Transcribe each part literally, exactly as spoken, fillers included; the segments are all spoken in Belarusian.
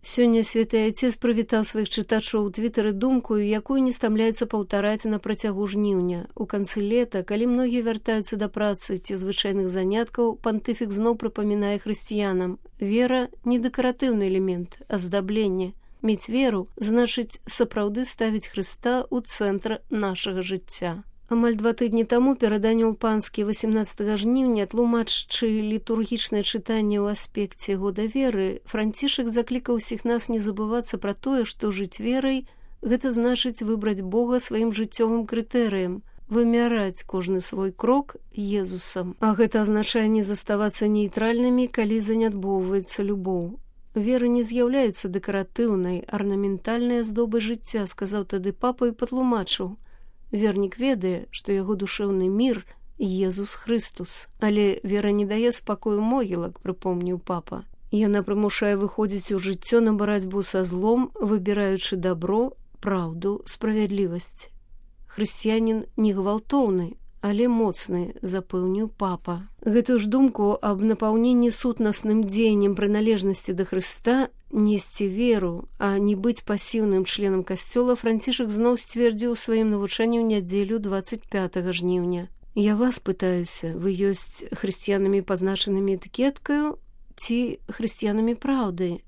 Сёння святы айцец прывітаў сваіх чытачоў у твітары думкою, якую не стамляецца паўтараць на працягу жніўня. У канцы лета, калі многія вяртаюцца да працы ці звычайных заняткаў, пантыфік зноў прыпамінае хрысціянам: вера не дэкаратыўны элемент, а здабленне. Мець веру значыць сапраўды ставіць Хрыста ў цэнтр нашага жыцця. Амаль два тыдні таму перад анёл-панскі васямнаццатага жніўня, тлумачачы літургічнае чытанне ў аспекце года веры, Францішак заклікаў усіх нас не забывацца пра тое, што жыць верай – гэта значыць выбраць Бога сваім жыццёвым крытэрыем, вымяраць кожны свой крок Езусам. А гэта азначае не заставацца нейтральнымі, калі занядбоўваецца любоў. Вера не з'яўляецца дэкаратыўнай, арнаментальнай аздобай жыцця, сказаў тады папа і патлумачыў: вернік ведае, што яго душэўны мір – Езус Хрыстус. Але вера не дае спакою могілак, прыпомніў папа. Яна прымушае выходзіць у жыццё на барацьбу са злом, выбіраючы дабро, праўду, справядлівасць. Хрысціянін не гвалтоўны, але моцны, запэўніў папа. Гэтую ж думку аб напаўненні сутнасным дзеяннем прыналежнасці да Хрыста, несці веру, а не быць пасіўным членам касцёла, Францішак зноў сцвердзіў у сваім навучанні ў нядзелю дваццаць пятага жніўня. Я вас пытаюся, вы ёсць хрысціянамі, пазначанымі этыкеткаю, ці хрысціянамі праўды?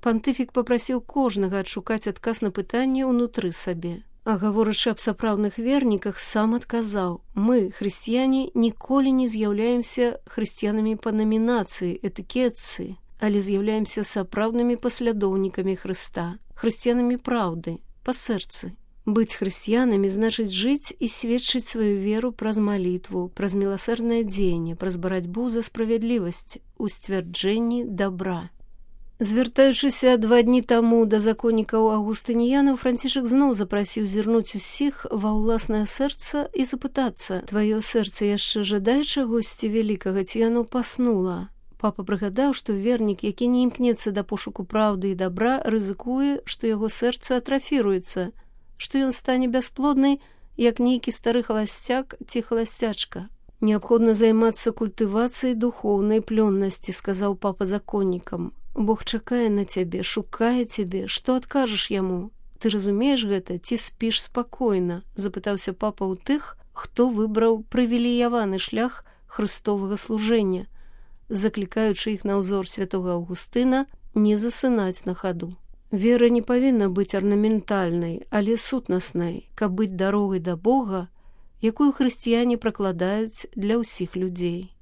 Пантыфік папрасіў кожнага адшукаць адказ на пытанне ўнутры сабе. А гаворачы аб сапраўдных верніках, сам адказаў: мы, хрысціяне, ніколі не з'яўляемся хрысціянамі па намінацыі, этыкетцы, але з'яўляемся сапраўднымі паслядоўнікамі Хрыста, хрысціянамі праўды, па сэрцы. Быць хрысціянамі значыць жыць і сведчыць сваю веру праз малітву, праз міласэрнае дзеянне, праз барацьбу за справядлівасць, у сцвярджэнні дабра. Звяртаючыся два дні таму да законнікаў аўгустыніянаў, Францішак зноў запрасіў зірнуць усіх ва ўласнае сэрца і запытацца: тваё сэрца яшчэ жадае чагосьці вялікага, ці яно паснула? Папа прыгадаў, што вернік, які не імкнецца да пошуку праўды і дабра, рызыкуе, што яго сэрца атрафіруецца, што ён стане бясплодны, як нейкі стары халасцяк ці халасцячка. Неабходна займацца культывацыяй духоўнай плённасці, сказаў папа законнікам. Бог чакае на цябе, шукае цябе, што адкажаш яму? Ты разумееш гэта, ці спіш спакойна? Запытаўся папа ў тых, хто выбраў прывілеяваны шлях хрыстовага служэння, заклікаючы іх на ўзор святога Аўгустына не засынаць на хаду. Вера не павінна быць арнаментальнай, але сутнаснай, каб быць дарогай да Бога, якую хрысціяне пракладаюць для ўсіх людзей.